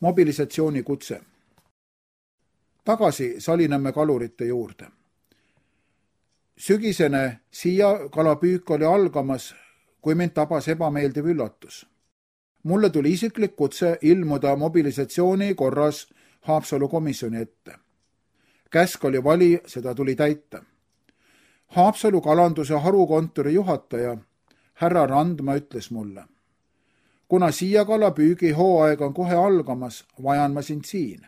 mobilisatsioonikutse. Tagasi Salinõmme kalurite juurde. Sügisene siiakalapüük oli algamas, kui mind tabas ebameeldiv üllatus. Mulle tuli isiklik kutse ilmuda mobilisatsiooni korras Haapsalu komisjoni ette. Käsk oli vali, seda tuli täita. Haapsalu kalanduse harukontori juhataja härra Randma ütles mulle: kuna siiakalapüügi hooaeg on kohe algamas, vajan ma sind siin.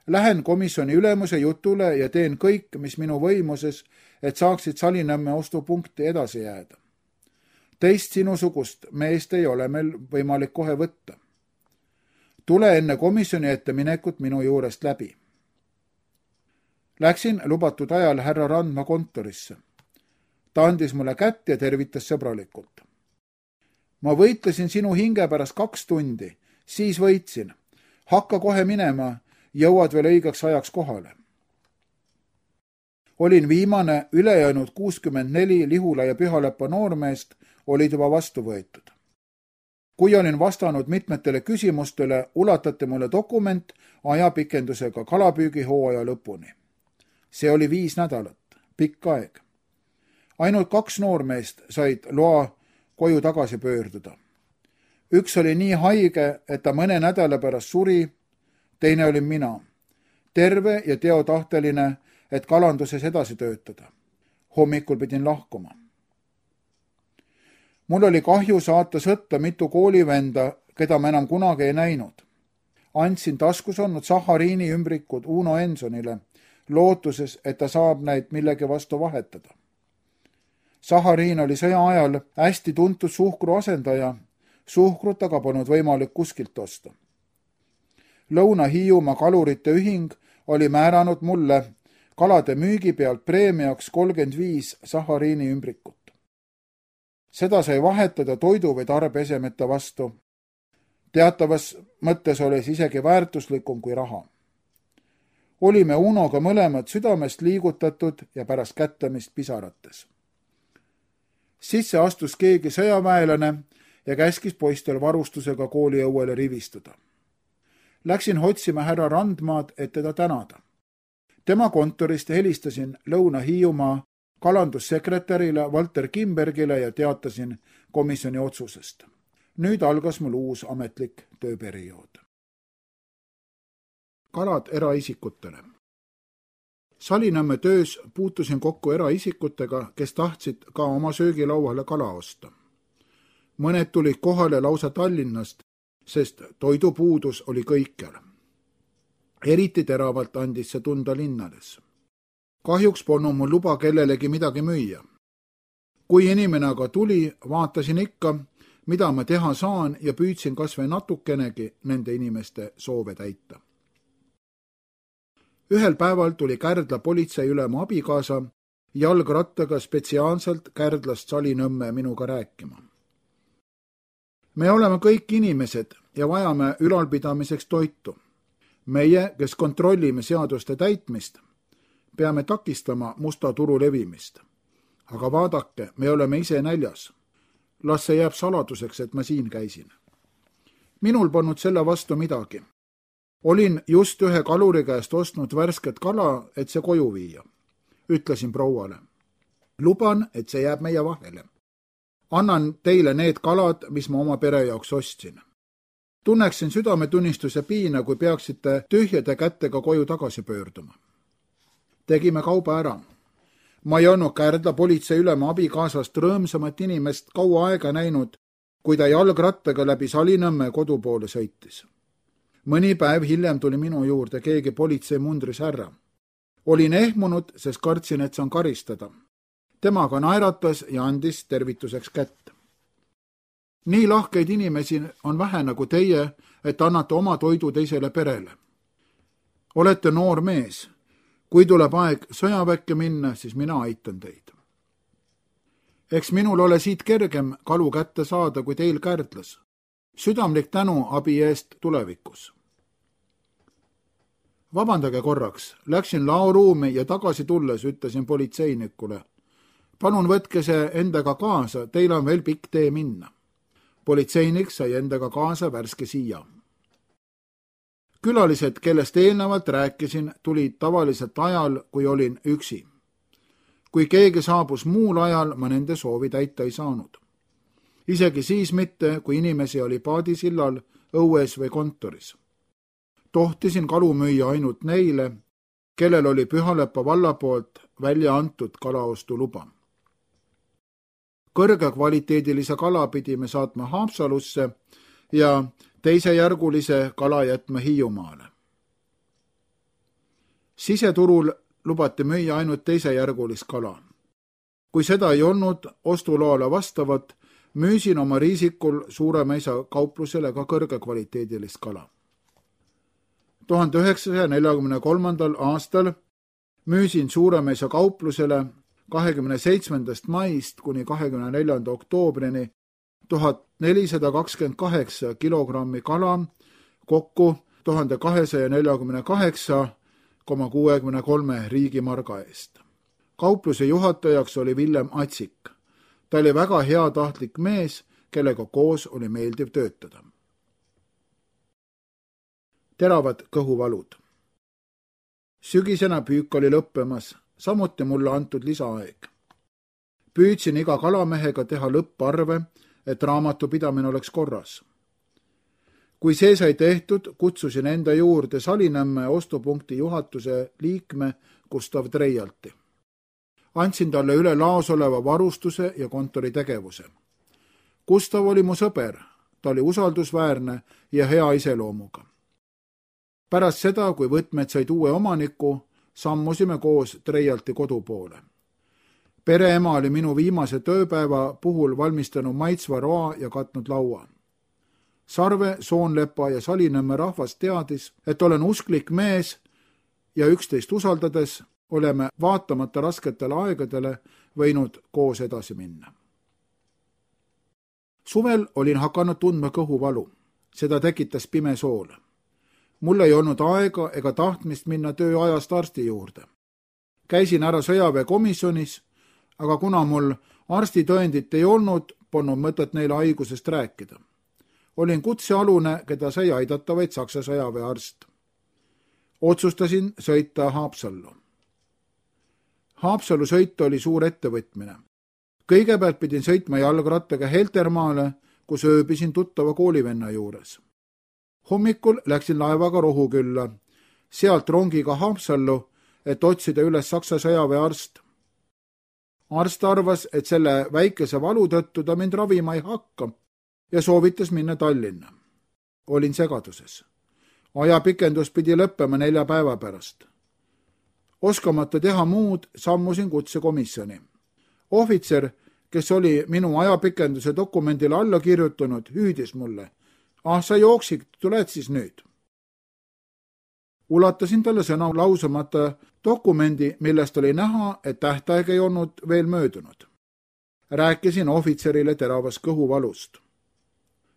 Lähen komisjoni ülemuse jutule ja teen kõik, mis minu võimuses, et saaksid Salinõmme ostupunkti edasi jääda. Teist sinusugust meest ei ole meil võimalik kohe võtta. Tule enne komisjoni ette minekut minu juurest läbi. Läksin lubatud ajal härra Randma kontorisse. Ta andis mulle kätt ja tervitas sõbralikult. Ma võitlesin sinu hinge pärast 2 tundi, siis võitsin. Hakka kohe minema, jõuad veel õigeks ajaks kohale. Olin viimane, ülejäänud 64 Lihula ja Pühalepa noormeest olid juba vastu võetud. Kui olin vastanud mitmetele küsimustele, ulatati mulle dokument ajapikendusega kalapüügihooaja lõpuni. See oli 5 nädalat, pikk aeg. Ainult 2 noormeest said loa koju tagasi pöörduda. Üks oli nii haige, et ta mõne nädala pärast suri, teine olin mina. Terve ja teotahteline, et kalanduses edasi töötada. Hommikul pidin lahkuma. Mul oli kahju saata sõtta mitu koolivenda, keda ma enam kunagi ei näinud. Andsin taskus olnud sahariini ümbrikud Uno Ensonile, lootuses, et ta saab neid millegi vastu vahetada. Sahariin oli sõja ajal hästi tuntud suhkru asendaja, suhkrut aga polnud võimalik kuskilt osta. Lõuna-Hiiumaa kalurite ühing oli määranud mulle kalade müügi pealt preemiaks 35 sahariini ümbrikut. Seda sai vahetada toidu või tarbeesemete vastu. Teatavas mõttes oli see isegi väärtuslikum kui raha. Olime Unoga mõlemad südamest liigutatud ja pärast kättamist pisarates. Sisse astus keegi sõjaväelane ja käskis poistel varustusega kooliõuele rivistuda. Läksin otsima härra Randmaad, et teda tänada. Tema kontorist helistasin Lõuna-Hiiumaa kalandussekretärile Valter Kimbergile ja teatasin komisjoni otsusest. Nüüd algas mul uus ametlik tööperiood. Kalad eraisikutele. Salinõmme töös puutusin kokku eraisikutega, kes tahtsid ka oma söögilauale kala osta. Mõned tulid kohale lausa Tallinnast, sest toidupuudus oli kõikjal. Eriti teravalt andis see tunda linnades. Kahjuks polnud mul luba kellelegi midagi müüa. Kui inimene aga tuli, vaatasin ikka, mida ma teha saan ja püüdsin kas või natukenegi nende inimeste soove täita. Ühel päeval tuli Kärdla politseiülema abikaasa jalgrattaga spetsiaalselt Kärdlast Salinõmme minuga rääkima. Me oleme kõik inimesed ja vajame ülalpidamiseks toitu. Meie, kes kontrollime seaduste täitmist, peame takistama musta turu levimist. Aga vaadake, me oleme ise näljas. Las see jääb saladuseks, et ma siin käisin. Minul polnud selle vastu midagi. Olin just ühe kaluri käest ostnud värsket kala, et see koju viia. Ütlesin prouale. Luban, et see jääb meie vahele. Annan teile need kalad, mis ma oma pere jaoks ostsin. Tunneksin südametunnistuse piina, kui peaksite tühjade kättega koju tagasi pöörduma. Tegime kauba ära. Ma ei olnud Kärdla politseiülema abikaasast rõõmsamat inimest kaua aega näinud, kui ta jalgrattaga läbi Salinõmme kodu poole sõitis. Mõni päev hiljem tuli minu juurde keegi politseimundris härra. Olin ehmunud, sest kartsin, et saan karistada. Temaga naeratas ja andis tervituseks kätt. Nii lahkeid inimesi on vähe nagu teie, et annate oma toidu teisele perele. Olete noor mees. Kui tuleb aeg sõjaväkke minna, siis mina aitan teid. Eks minul ole siit kergem kalu kätte saada kui teil Kärdlas. Südamlik tänu abi eest tulevikus. Vabandage korraks, läksin laoruumi ja tagasi tulles ütlesin politseinikule. Palun võtke see endaga kaasa, teil on veel pikk tee minna. Politseinik sai endaga kaasa värske siia. külalised, kellest eelnevalt rääkisin, tulid tavaliselt ajal, kui olin üksi. Kui keegi saabus muul ajal, ma nende soovi täita ei saanud. Isegi siis mitte, kui inimesi oli paadisillal, õues või kontoris. Tohtisin kalu müüa ainult neile, kellel oli Pühalepa valla poolt välja antud kalaostuluba. Kõrgekvaliteedilise kala pidime saatma Haapsalusse ja teisejärgulise kala jätma Hiiumaale. Siseturul lubati müüa ainult teisejärgulist kala. Kui seda ei olnud ostuloale vastavat, müüsin oma riisikul Suuremeisa kauplusele ka kõrgekvaliteedilist kala. 1943. aastal müüsin Suuremeisa kauplusele 27. maist kuni 24. oktoobrini 1428 kilogrammi kala, kokku 1248,63 riigimarga eest. Kaupluse juhatajaks oli Villem Atsik. Ta oli väga heatahtlik mees, kellega koos oli meeldiv töötada. Teravad kõhuvalud. Sügisena püük oli lõppemas, samuti mulle antud lisaaeg. Püüdsin iga kalamehega teha lõpparve, et raamatupidamine oleks korras. Kui see sai tehtud, kutsusin enda juurde Salinõmme ostupunkti juhatuse liikme Gustav Treialti. Andsin talle üle laos oleva varustuse ja kontori tegevuse. Gustav oli mu sõber, ta oli usaldusväärne ja hea iseloomuga. Pärast seda, kui võtmed said uue omaniku, sammusime koos Treialti kodu poole. Pereema oli minu viimase tööpäeva puhul valmistanud maitsva roa ja katnud laua. Sarve, Soonlepa ja Salinõmme rahvas teadis, et olen usklik mees ja üksteist usaldades oleme vaatamata rasketele aegadele võinud koos edasi minna. Suvel olin hakanud tundma kõhuvalu. Seda tekitas pime sool. Mul ei olnud aega ega tahtmist minna tööajast arsti juurde. Käisin ära sõjaväekomisjonis, aga kuna mul arstitõendit ei olnud, polnud mõtet neile haigusest rääkida. Olin kutsealune, keda sai aidata vaid Saksa sõjaväearst. Otsustasin sõita Haapsallu. Haapsalu sõit oli suur ettevõtmine. Kõigepealt pidin sõitma jalgrattaga Heltermaale, kus ööbisin tuttava koolivenna juures. Hommikul läksin laevaga Rohukülla, sealt rongiga Haapsallu, et otsida üles Saksa sõjaväearst. Arst arvas, et selle väikese valu tõttu ta mind ravima ei hakka ja soovitas minna Tallinna. Olin segaduses. Ajapikendus pidi lõppema 4 päeva pärast. Oskamata teha muud, sammusin kutsekomisjoni. Ohvitser, kes oli minu ajapikenduse dokumendile alla kirjutanud, hüüdis mulle. Sa jooksid, tuled siis nüüd. Ulatasin talle sõna lausamata dokumendi, millest oli näha, et tähtaeg ei olnud veel möödunud. Rääkisin ohvitserile teravas kõhuvalust.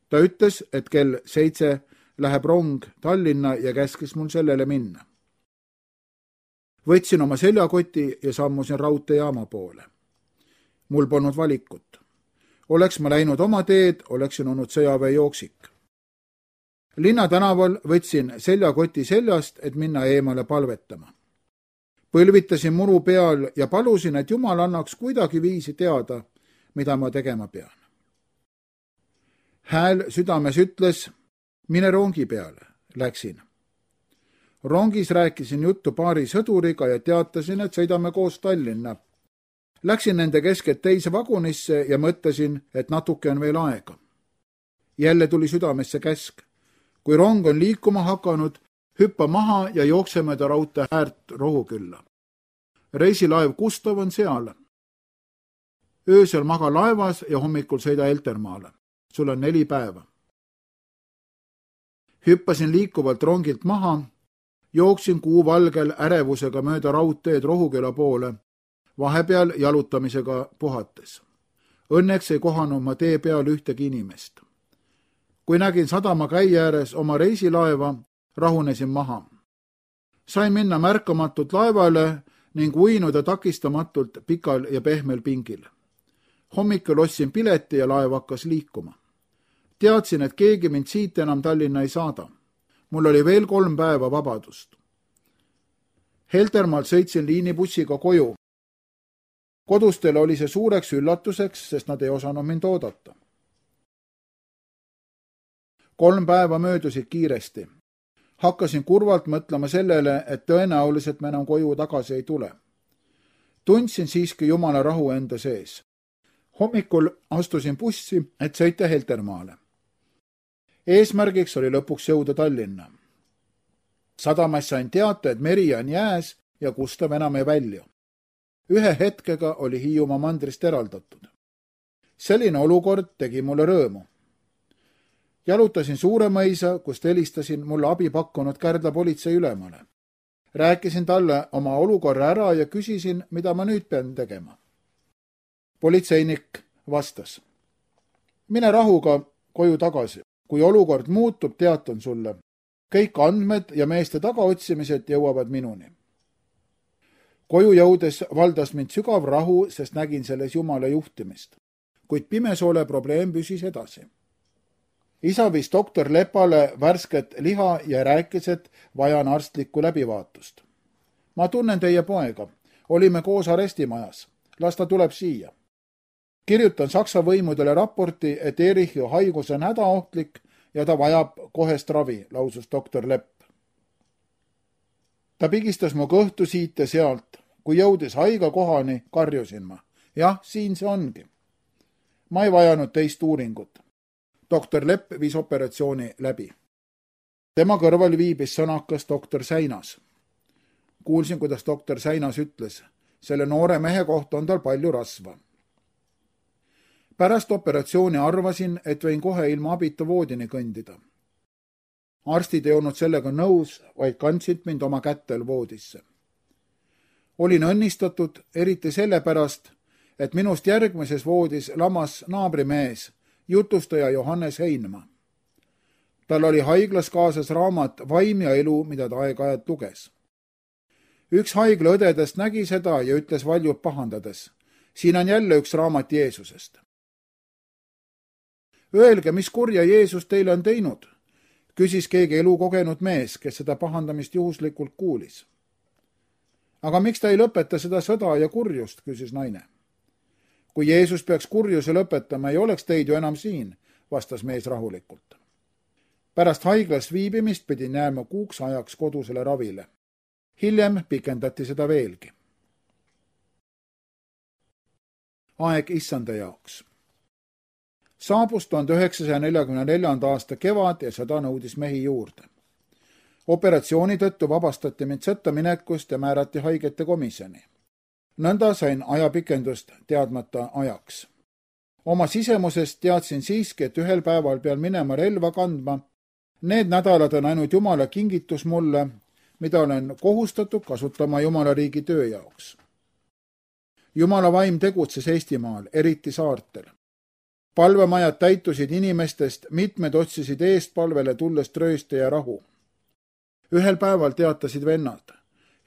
Ta ütles, et kell 7 läheb rong Tallinna ja käskis mul sellele minna. Võtsin oma seljakoti ja sammusin raudteejaama poole. Mul polnud valikut. Oleks ma läinud oma teed, oleksin olnud sõjaväejooksik. Linnatänaval võtsin seljakoti seljast, et minna eemale palvetama. Põlvitasin muru peal ja palusin, et Jumal annaks kuidagi viisi teada, mida ma tegema pean. Hääl südames ütles, mine rongi peale. Läksin. Rongis rääkisin juttu paari sõduriga ja teatasin, et sõidame koos Tallinna. Läksin nende keskelt teise vagunisse ja mõtlesin, et natuke on veel aega. Jälle tuli südamesse käsk. Kui rong on liikuma hakanud, hüppa maha ja jookse mööda raudtee äärt Rohukülla. Reisilaev Gustav on seal. Öösel maga laevas ja hommikul sõida Heltermaale. Sul on 4 päeva. Hüppasin liikuvalt rongilt maha, jooksin kuuvalgel ärevusega mööda raudteed Rohuküla poole, vahepeal jalutamisega puhates. Õnneks ei kohanud ma tee peal ühtegi inimest. Kui nägin sadama käi ääres oma reisilaeva, rahunesin maha. Sain minna märkamatult laevale ning uinuda takistamatult pikal ja pehmel pingil. Hommikul ostsin pileti ja laev hakkas liikuma. Teadsin, et keegi mind siit enam Tallinna ei saada. mul oli veel 3 päeva vabadust. Heltermaalt sõitsin liinibussiga koju. Kodustele oli see suureks üllatuseks, sest nad ei osanud mind oodata. 3 päeva möödusid kiiresti. Hakkasin kurvalt mõtlema sellele, et tõenäoliselt me enam koju tagasi ei tule. Tundsin siiski Jumala rahu enda sees. Hommikul astusin bussi, et sõita Heltermaale. Eesmärgiks oli lõpuks jõuda Tallinna. Sadamas sain teate, et meri on jääs ja Gustav enam ei välju. Ühe hetkega oli Hiiumaa mandrist eraldatud. Selline olukord tegi mulle rõõmu. Jalutasin Suuremõisa, kust helistasin mulle abi pakkunud Kärdla politsei ülemale. Rääkisin talle oma olukorra ära ja küsisin, mida ma nüüd pean tegema. Politseinik vastas. Mine rahuga koju tagasi. Kui olukord muutub, teatan sulle. Kõik andmed ja meeste tagaotsimised jõuavad minuni. Koju jõudes valdas mind sügav rahu, sest nägin selles Jumala juhtimist. Kuid pimesoole probleem püsis edasi. Isa viis doktor Lepale värsket liha ja rääkis, et vajan arstlikku läbivaatust. Ma tunnen teie poega. Olime koos arestimajas. Las ta tuleb siia. Kirjutan Saksa võimudele raporti, et Erichi haigus on hädaohtlik ja ta vajab kohest ravi, lausus doktor Lepp. Ta pigistas mu kõhtu siit ja sealt. Kui jõudis haiga kohani, karjusin ma. Jah, siin see ongi. Ma ei vajanud teist uuringut. Doktor Lepp viis operatsiooni läbi. Tema kõrval viibis sõnakas doktor Säinas. Kuulsin, kuidas doktor Säinas ütles, selle noore mehe kohta on tal palju rasva. Pärast operatsiooni arvasin, et võin kohe ilma abita voodini kõndida. Arstid ei olnud sellega nõus, vaid kandsid mind oma kätel voodisse. Olin õnnistatud eriti sellepärast, et minust järgmises voodis lamas naabrimees, jutustaja Johannes Heinma. Tal oli haiglas kaasas raamat Vaim ja elu, mida ta aeg-ajalt luges. Üks haigla õdedest nägi seda ja ütles valjult pahandades. Siin on jälle üks raamat Jeesusest. Öelge, mis kurja Jeesus teile on teinud, küsis keegi elukogenud mees, kes seda pahandamist juhuslikult kuulis. Aga miks ta ei lõpeta seda sõda ja kurjust, küsis naine. Kui Jeesus peaks kurjuse lõpetama, ei oleks teid ju enam siin, vastas mees rahulikult. Pärast haiglas viibimist pidin jääma 6 ajaks kodusele ravile. Hiljem pikendati seda veelgi. Aeg issanda jaoks. Saabus 1944. aasta kevad ja sõda nõudis mehi juurde. Operatsiooni tõttu vabastati mind sõtta minekust ja määrati haigete komisjoni. Nõnda sain ajapikendust teadmata ajaks. Oma sisemusest teadsin siiski, et ühel päeval pean minema relva kandma. Need nädalad on ainult Jumala kingitus mulle, mida olen kohustatud kasutama Jumala riigi töö jaoks. Jumala vaim tegutses Eestimaal, eriti saartel. Palvemajad täitusid inimestest, mitmed otsisid eestpalvele tulles trööste ja rahu. Ühel päeval teatasid vennad.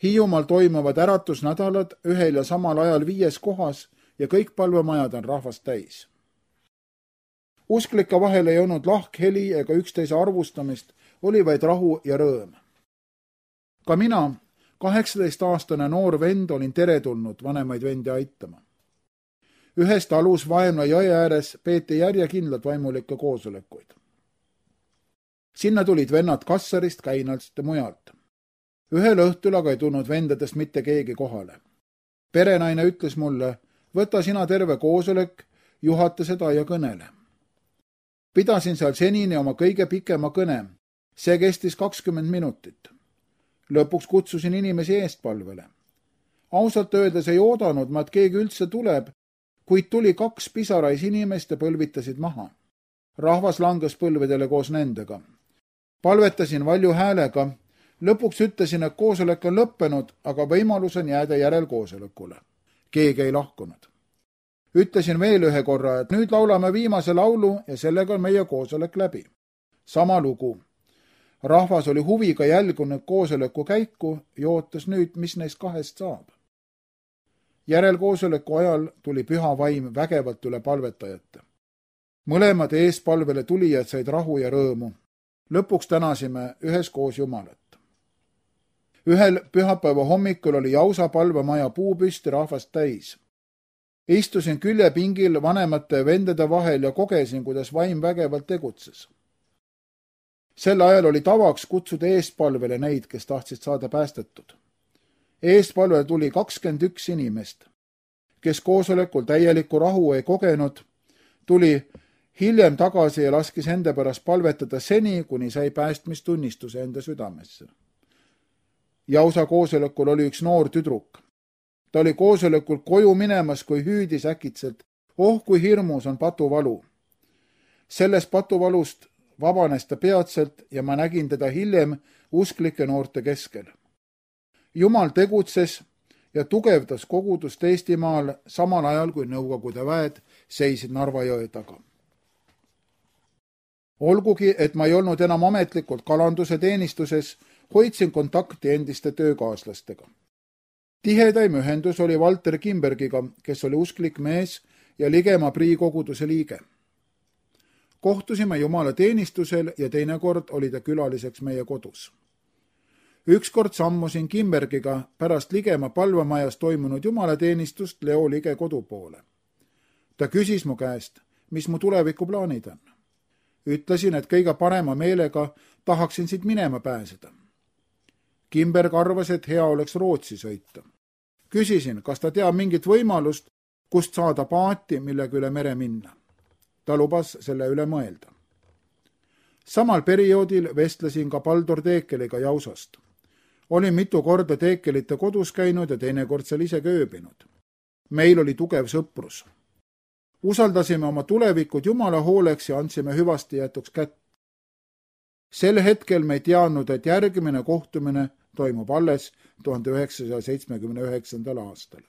Hiiumaal toimuvad äratusnädalad ühel ja samal ajal 5 kohas ja kõik palvemajad on rahvast täis. Usklike vahel ei olnud lahkheli ega üksteise arvustamist, oli vaid rahu ja rõõm. Ka mina, 18-aastane noor vend, olin teretulnud vanemaid vendi aitama. Ühes talus Vaemla jõe ääres peeti järjekindlalt vaimulikke koosolekuid. Sinna tulid vennad Kassarist, Käinalt ja mujalt. Ühel õhtul aga ei tulnud vendadest mitte keegi kohale. Perenaine ütles mulle, võta sina terve koosolek, juhata seda ja kõnele. Pidasin seal senini oma kõige pikema kõne. See kestis 20 minutit. Lõpuks kutsusin inimesi eestpalvele. Ausalt öeldes ei oodanud ma, et keegi üldse tuleb, kuid tuli 2 pisarais inimest ja põlvitasid maha. Rahvas langes põlvedele koos nendega. Palvetasin valju häälega. Lõpuks ütlesin, et koosolek on lõppenud, aga võimalus on jääda järelkoosolekule. Keegi ei lahkunud. Ütlesin veel ühe korra, et nüüd laulame viimase laulu ja sellega on meie koosolek läbi. Sama lugu. Rahvas oli huviga jälgunud koosoleku käiku ja ootas nüüd, mis neist 2 saab. Järelkoosoleku ajal tuli püha vaim vägevalt üle palvetajate. Mõlemad eespalvele tulijad said rahu ja rõõmu. Lõpuks tänasime üheskoos Jumalat. Ühel pühapäeva hommikul oli Jausa palvemaja puupüsti rahvast täis. Istusin küljepingil vanemate vendade vahel ja kogesin, kuidas vaim vägevalt tegutses. Sel ajal oli tavaks kutsuda eestpalvele neid, kes tahtsid saada päästetud. Eestpalvele tuli 21 inimest, kes koosolekul täielikku rahu ei kogenud, tuli hiljem tagasi ja laskis enda pärast palvetada seni, kuni sai päästmistunnistuse enda südamesse. Jausa koosolekul oli üks noor tüdruk. Ta oli koosolekul koju minemas, kui hüüdis äkitselt, kui hirmus on patuvalu. Sellest patuvalust vabanes ta peatselt ja ma nägin teda hiljem usklike noorte keskel. Jumal tegutses ja tugevdas kogudust Eestimaal samal ajal, kui Nõukogude väed seisid Narva jõe taga. Olgugi, et ma ei olnud enam ametlikult kalanduse teenistuses, hoidsin kontakti endiste töökaaslastega. Tihedaim ühendus oli Valter Kimbergiga, kes oli usklik mees ja Ligemaa priikoguduse liige. Kohtusime Jumala teenistusel ja teinekord oli ta külaliseks meie kodus. Ükskord sammusin Kimbergiga pärast Ligemaa palvemajas toimunud jumalateenistust Leo Lige kodu poole. Ta küsis mu käest, mis mu tulevikuplaanid on. Ütlesin, et kõige parema meelega tahaksin siit minema pääseda. Kimberg arvas, et hea oleks Rootsi sõita. Küsisin, kas ta teab mingit võimalust, kust saada paati, millega üle mere minna. Ta lubas selle üle mõelda. Samal perioodil vestlesin ka Baldur Teekeliga Jausast. Olin mitu korda Teekelite kodus käinud ja teinekord seal ise ööbinud. Meil oli tugev sõprus. Usaldasime oma tulevikud Jumala hooleks ja andsime hüvasti jätuks kätt. Sel hetkel me ei teadnud, et järgmine kohtumine toimub alles 1979. aastal.